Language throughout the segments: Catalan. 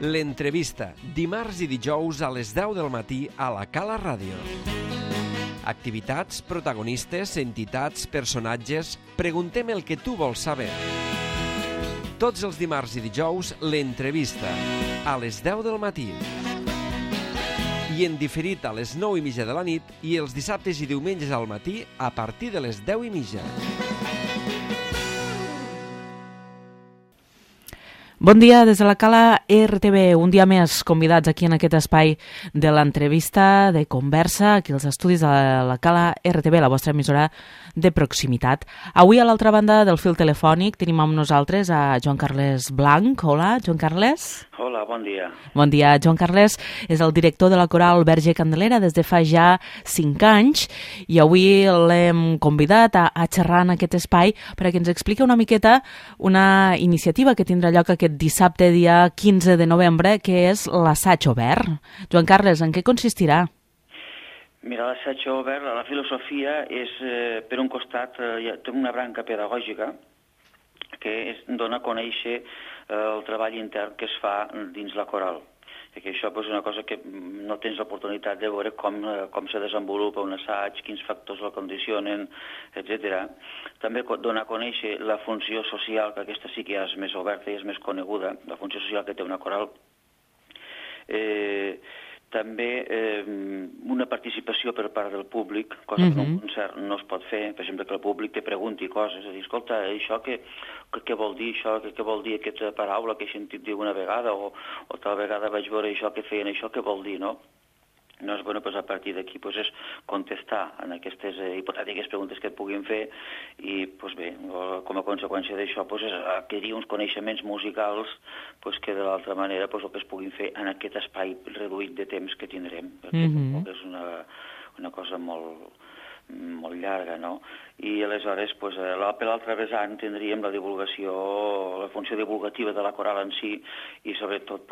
L'entrevista, dimarts i dijous a les 10 del matí a la Cala Ràdio. Activitats, protagonistes, entitats, personatges... Preguntem el que tu vols saber. Tots els dimarts i dijous, l'entrevista, a les 10 del matí. I en diferit a les 9:30 de la nit i els dissabtes i diumenges al matí a partir de les 10:30. Bon dia des de la Cala RTV, un dia més convidats aquí en aquest espai de l'entrevista, de conversa, aquí als estudis de la Cala RTV, la vostra emissora de proximitat. Avui a l'altra banda del fil telefònic tenim amb nosaltres a Joan Carles Blanc. Hola, Joan Carles. Hola, bon dia. Bon dia. Joan Carles és el director de la coral Verge Candelera des de fa ja 5 anys i avui l'hem convidat a xerrar en aquest espai perquè ens expliqui una miqueta una iniciativa que tindrà lloc aquest dissabte, dia 15 de novembre, que és l'assaig obert. Joan Carles, en què consistirà? Mira, l'assaig obert, la filosofia és, per un costat, té una branca pedagògica que dona a conèixer el treball intern que es fa dins la coral. I que això és una cosa que no tens l'oportunitat de veure com se desenvolupa un assaig, quins factors el condicionen, etc. També dona a conèixer la funció social, que aquesta sí que és més oberta i és més coneguda, la funció social que té una coral. També una participació per part del públic, cosa que en un concert no es pot fer, per exemple, que el públic te pregunti coses, és a dir, escolta, això què vol dir això, què vol dir aquesta paraula que he sentit dir una vegada, o tal vegada vaig veure això que feien això, què vol dir, no? No és bueno, a partir d'aquí és contestar en aquestes hipotètiques preguntes que et puguin fer i, bé, com a conseqüència d'això, és adquirir uns coneixements musicals que de l'altra manera el que es puguin fer en aquest espai reduït de temps que tindrem, perquè és una cosa molt llarga, no? I aleshores, per l'altre vessant, tindríem la divulgació, la funció divulgativa de la coral en si i, sobretot,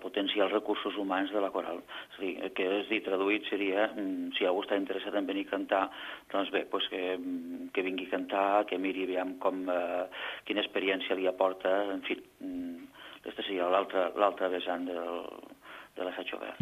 potenciar els recursos humans de la coral. És dir, traduït seria, si algú està interessat en venir a cantar, doncs bé, que vingui a cantar, que miri aviam quina experiència li aporta, en fi, aquesta seria l'altre vessant de l'assaig obert.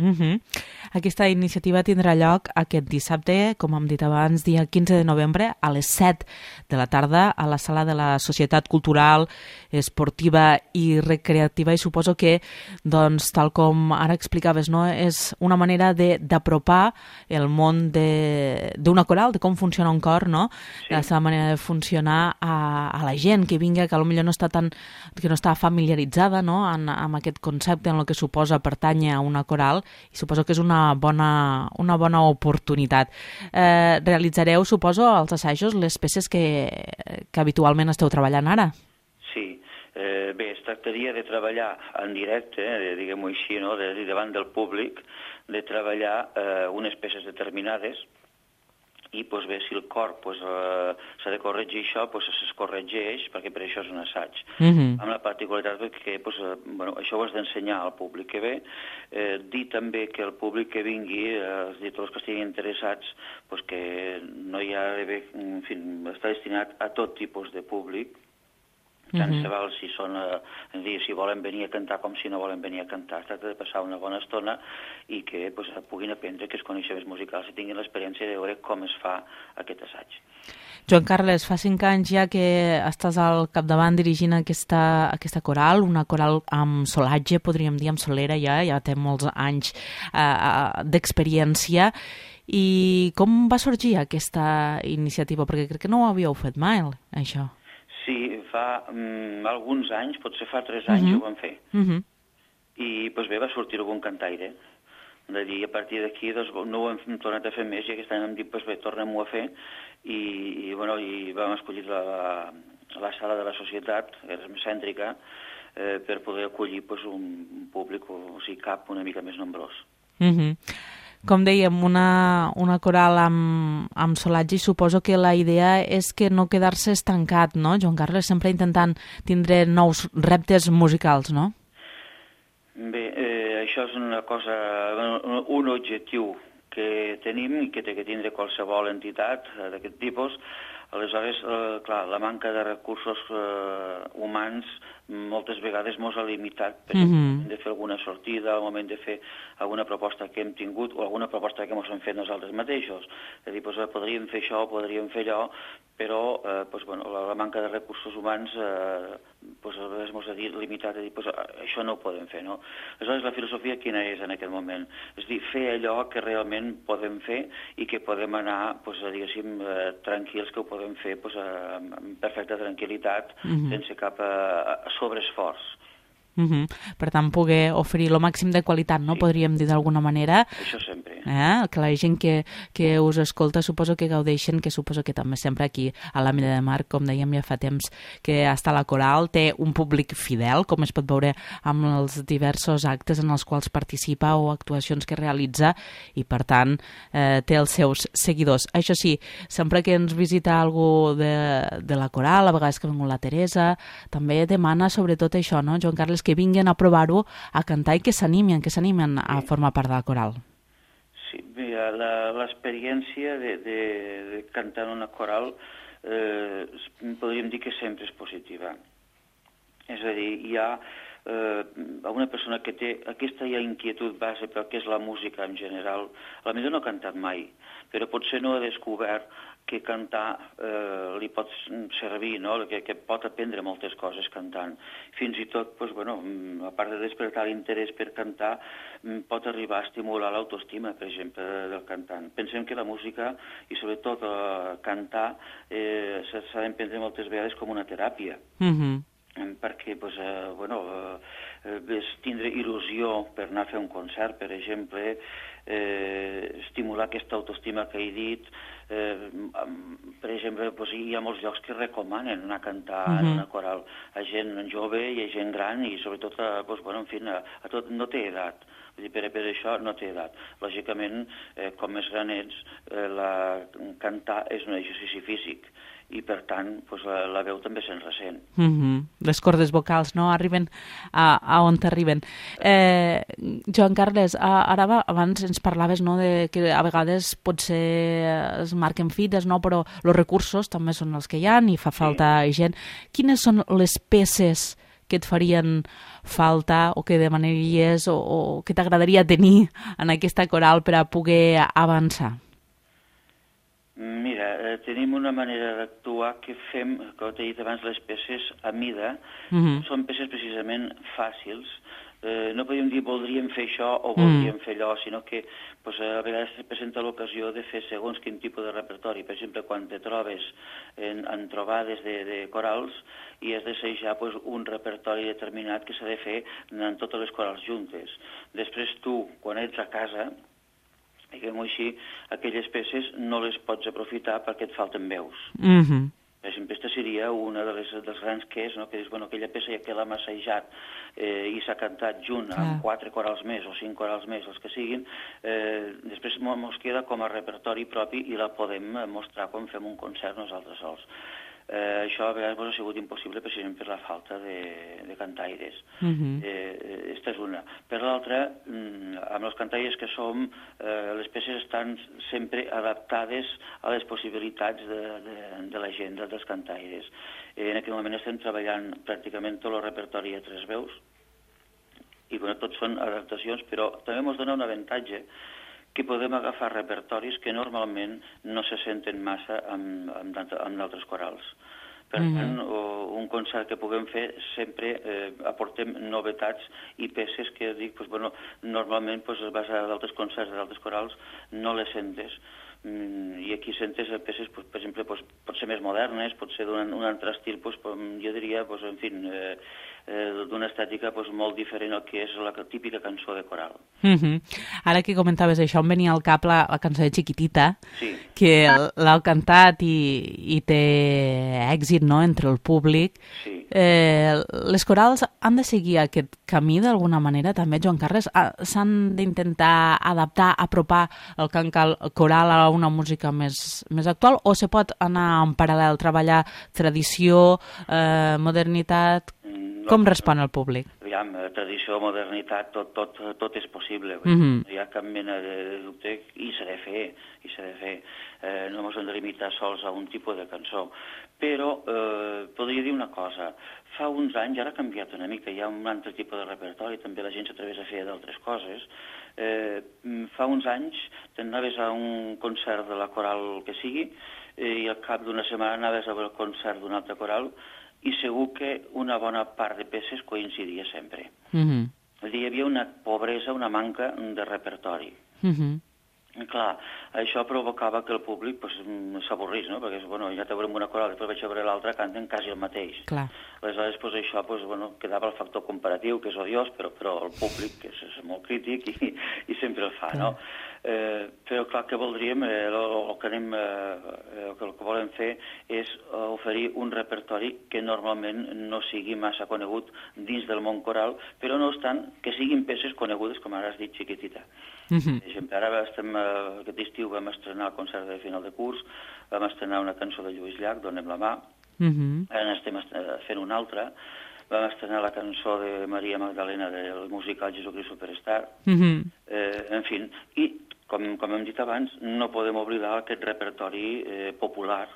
Aquesta iniciativa tindrà lloc aquest dissabte, com hem dit abans, dia 15 de novembre, a les 7 de la tarda, a la sala de la Societat Cultural, Esportiva i Recreativa, i suposo que, tal com ara explicaves, és una manera d'apropar el món d'una coral, de com funciona un cor, no? Sí. La seva manera de funcionar a la gent que vingui, que potser no està familiaritzada, no?, amb aquest concepte, en el que suposa pertànyer a una coral, i suposo que és una bona oportunitat. Realitzareu, suposo, als assajos les peces que habitualment esteu treballant ara? Sí. Bé, es tractaria de treballar en directe, diguem-ho així, no?, davant del públic, de treballar unes peces determinades i, bé, si el cor s'ha de corregir això, es corregeix, perquè per això és un assaig. Amb la particularitat que això ho has d'ensenyar al públic que ve, dir també que el públic que vingui, tots els que estiguin interessats, que no hi ha d'haver, en fi, està destinat a tot tipus de públic, tant se val si volen venir a cantar com si no volen venir a cantar. Es tracta de passar una bona estona i que puguin aprendre aquests coneixements musicals i tinguin l'experiència de veure com es fa aquest assaig. Joan Carles, fa 5 anys ja que estàs al capdavant dirigint aquesta coral, una coral amb solatge, podríem dir, amb solera ja té molts anys d'experiència. I com va sorgir aquesta iniciativa? Perquè crec que no ho havíeu fet mai, això. Sí, fa alguns anys, potser fa 3 anys ho vam fer. I bé, va sortir algun cantaire. De dir, a partir d'aquí no ho hem tornat a fer més i aquest any hem dit, bé, tornem-ho a fer i vam escollir la sala de la societat, que és més cèntrica, per poder acollir un públic, o sigui, cap una mica més nombrós. Com dèiem, una coral amb solatge, i suposo que la idea és que no quedar-se estancat, no, Joan Carles? Sempre intentant tindre nous reptes musicals, no? Bé, això és una cosa, un objectiu que tenim i que té que tindre qualsevol entitat d'aquest tipus, Aleshores, clar, la manca de recursos humans moltes vegades mos ha limitat, per exemple, al moment de fer alguna sortida, al moment de fer alguna proposta que hem tingut o alguna proposta que ens hem fet nosaltres mateixos. És a dir, podríem fer això, podríem fer allò, però la manca de recursos humans a vegades ens ha limitat a dir això no ho podem fer, no? Aleshores, la filosofia quina és en aquest moment? És a dir, fer allò que realment podem fer i que podem anar, diguéssim, tranquils, que ho podem fer amb perfecta tranquil·litat, sense cap sobreesforç. Per tant, poder oferir el màxim de qualitat, no? Podríem dir d'alguna manera. Això sempre. Que la gent que us escolta suposo que gaudeixen, que suposo que també sempre aquí a l'Àmida de Mar, com dèiem ja fa temps que està la coral, té un públic fidel, com es pot veure amb els diversos actes en els quals participa o actuacions que realitza, i per tant té els seus seguidors. Això sí, sempre que ens visita algú de la coral, a vegades que ha vingut la Teresa, també demana sobretot això, no, Joan Carles, que vinguen a provar-ho, a cantar i que s'animen a formar part de la coral. Sí, mira, l'experiència de cantar en una coral podríem dir que sempre és positiva. És a dir, hi ha una persona que té aquesta inquietud base pel que és la música en general, potser no ha cantat mai, però potser no ha descobert que cantar li pot servir, no? Que pot aprendre moltes coses cantant. Fins i tot, a part de despertar l'interès per cantar, pot arribar a estimular l'autoestima, per exemple, del cantant. Pensem que la música, i sobretot cantar, s'ha d'emprendre moltes vegades com una teràpia. Perquè és tindre il·lusió per anar a fer un concert, per exemple, estimular aquesta autoestima que he dit. Per exemple, hi ha molts llocs que recomanen anar a cantar en una coral a gent jove i a gent gran i sobretot a tot, no té edat. Per això no té edat. Lògicament, com més gran ets, cantar és un exercici físic i, per tant, la veu també se'n ressent. Les cordes vocals, no?, arriben a on t'arriben. Joan Carles, ara abans ens parlaves, no?, que a vegades potser es marquen fites, no?, però els recursos també són els que hi ha i fa falta gent. Quines són les peces que et farien falta o que demanaries o que t'agradaria tenir en aquesta coral per a poder avançar? Mira, tenim una manera d'actuar que fem, com t'he dit abans, les peces a mida. Són peces precisament fàcils. No podríem dir voldríem fer això o voldríem fer allò, sinó que a vegades es presenta l'ocasió de fer segons quin tipus de repertori. Per exemple, quan te trobes en trobades de corals i has d'assajar un repertori determinat que s'ha de fer en totes les corals juntes. Després tu, quan ets a casa, diguem-ho així, aquelles peces no les pots aprofitar perquè et falten veus. Per exemple, aquesta seria una dels grans ques, no? Que és aquella peça que l'hem assajat i s'ha cantat junt amb 4 corals més o 5 corals més, els que siguin, després ens queda com a repertori propi i la podem mostrar quan fem un concert nosaltres sols. Això a vegades ha sigut impossible precisament per la falta de cantaires. Aquesta és una. Per l'altra, amb els cantaires que som, les peces estan sempre adaptades a les possibilitats de la gent, dels cantaires. En aquest moment estem treballant pràcticament tot el repertori a 3 veus i tots són adaptacions, però també ens dona un avantatge que podem agafar repertoris que normalment no se senten massa amb d'altres corals. Per tant, un concert que puguem fer sempre aportem novetats i peces que normalment d'altres concerts, d'altres corals, no les sentes. I aquí sentes peces, per exemple, pot ser més modernes, pot ser d'un altre estil, jo diria, d'una estètica molt diferent al que és la típica cançó de coral. Ara que comentaves això, em venia al cap la cançó de Chiquitita, que l'heu cantat i té èxit, no?, entre el públic. Les corals han de seguir aquest camí d'alguna manera també, Joan Carles? S'han d'intentar adaptar, apropar el cant coral a una música més actual, o se pot anar en paral·lel, treballar tradició, modernitat? Com respon el públic? Aviam, tradició o modernitat tot és possible. No hi ha cap mena de dubte i s'ha de fer. No ens hem de limitar sols a un tipus de cançó. Però podria dir una cosa. Fa uns anys, ara ha canviat una mica, hi ha un altre tipus de repertori, també la gent s'atreveix a fer d'altres coses. Fa uns anys anaves a un concert de la coral que sigui i al cap d'una setmana anaves a veure el concert d'un altre coral i segur que una bona part de peces coincidia sempre. Hi havia una pobresa, una manca de repertori. Clar, això provocava que el públic s'avorrís, no? Perquè ja te veurem una coral, després vaig a veure l'altra, canten quasi el mateix. Aleshores, això quedava el factor comparatiu, que és odiós, però el públic és molt crític i sempre el fa, no? Però clar, que voldríem, el que volem fer és oferir un repertori que normalment no sigui massa conegut dins del món coral, però no obstant que siguin peces conegudes, com ara has dit, Chiquitita. Per exemple, ara aquest estiu vam estrenar el concert de final de curs, vam estrenar una cançó de Lluís Llach, Donem la mà, ara estem fent una altra, vam estrenar la cançó de Maria Magdalena del musical Jesucrist Superstar, en fi, i com hem dit abans, no podem oblidar aquest repertori popular.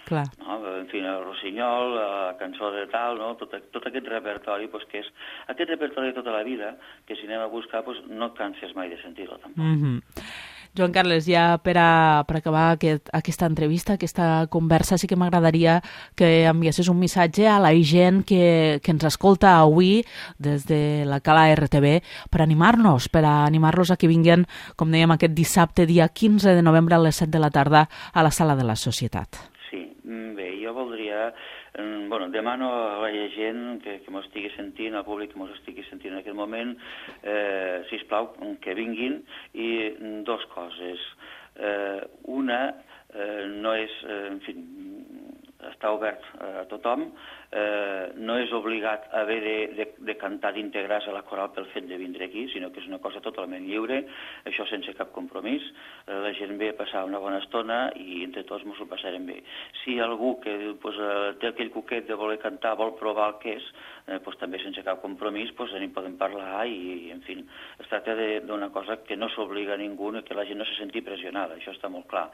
En fi, el Rossinyol, la cançó de tal, tot aquest repertori, que és aquest repertori de tota la vida, que si anem a buscar no et canses mai de sentir-lo tampoc. Joan Carles, ja per acabar aquesta entrevista, aquesta conversa, sí que m'agradaria que enviessis un missatge a la gent que ens escolta avui des de la Cala RTV per animar-los a que vinguin, com dèiem, aquest dissabte, dia 15 de novembre a les 7 de la tarda a la Sala de la Societat. Bé, jo voldria... demano a la gent que m'ho estigui sentint, al públic que m'ho estigui sentint en aquest moment, sisplau, que vinguin, i dues coses. Una, no és... En fi, està obert a tothom, no és obligat a haver de cantar, d'integrar-se a la coral pel fet de vindre aquí, sinó que és una cosa totalment lliure, això sense cap compromís. La gent ve a passar una bona estona i entre tots ens ho passarem bé. Si algú que té aquell coquet de voler cantar, vol provar el que és, també sense cap compromís en podem parlar i, en fi, es tracta d'una cosa que no s'obliga a ningú i que la gent no se senti pressionada, això està molt clar.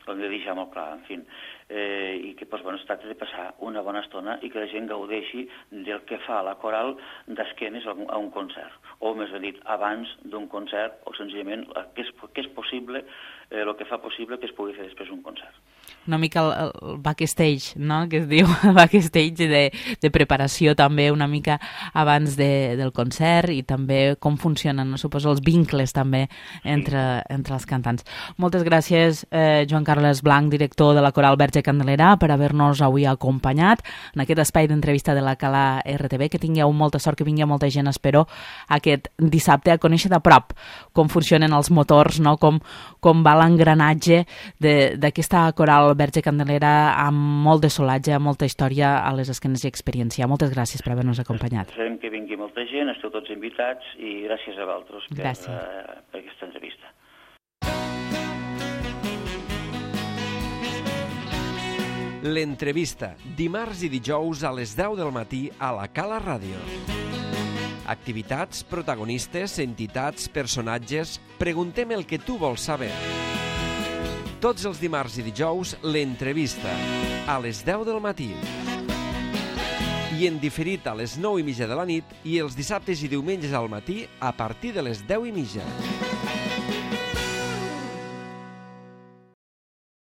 Hem de deixar molt clar, en fi, i que es tracta de passar una bona estona i que la gent gaudeixi del que fa la coral d'esquenes a un concert, o més ben dit, abans d'un concert, o senzillament que és possible, el que fa possible que es pugui fer després un concert. Una mica el backstage, no?, que es diu, el backstage de preparació també una mica abans del concert i també com funcionen, suposo, els vincles també entre els cantants. Moltes gràcies, Joan Carles Blanc, director de la Coral Verge Candelera, per haver-nos avui acompanyat en aquest espai d'entrevista de la Cala RTV. Que tingueu molta sort, que vingui molta gent, espero, aquest dissabte a conèixer de prop com funcionen els motors, no?, com va l'engranatge d'aquesta Coral Verge Candelera amb molt de solatge, amb molta història a les esquenes i experiència. Moltes gràcies per haver-nos acompanyat. Esperem que vingui molta gent, esteu tots invitats i gràcies a vosaltres per aquesta entrevista. L'entrevista, dimarts i dijous a les 10 del matí a la Cala Ràdio. Activitats, protagonistes, entitats, personatges... Preguntem el que tu vols saber. Tots els dimarts i dijous, l'entrevista, a les 10 del matí. I en diferit a les 9:30 de la nit i els dissabtes i diumenges al matí a partir de les 10:30.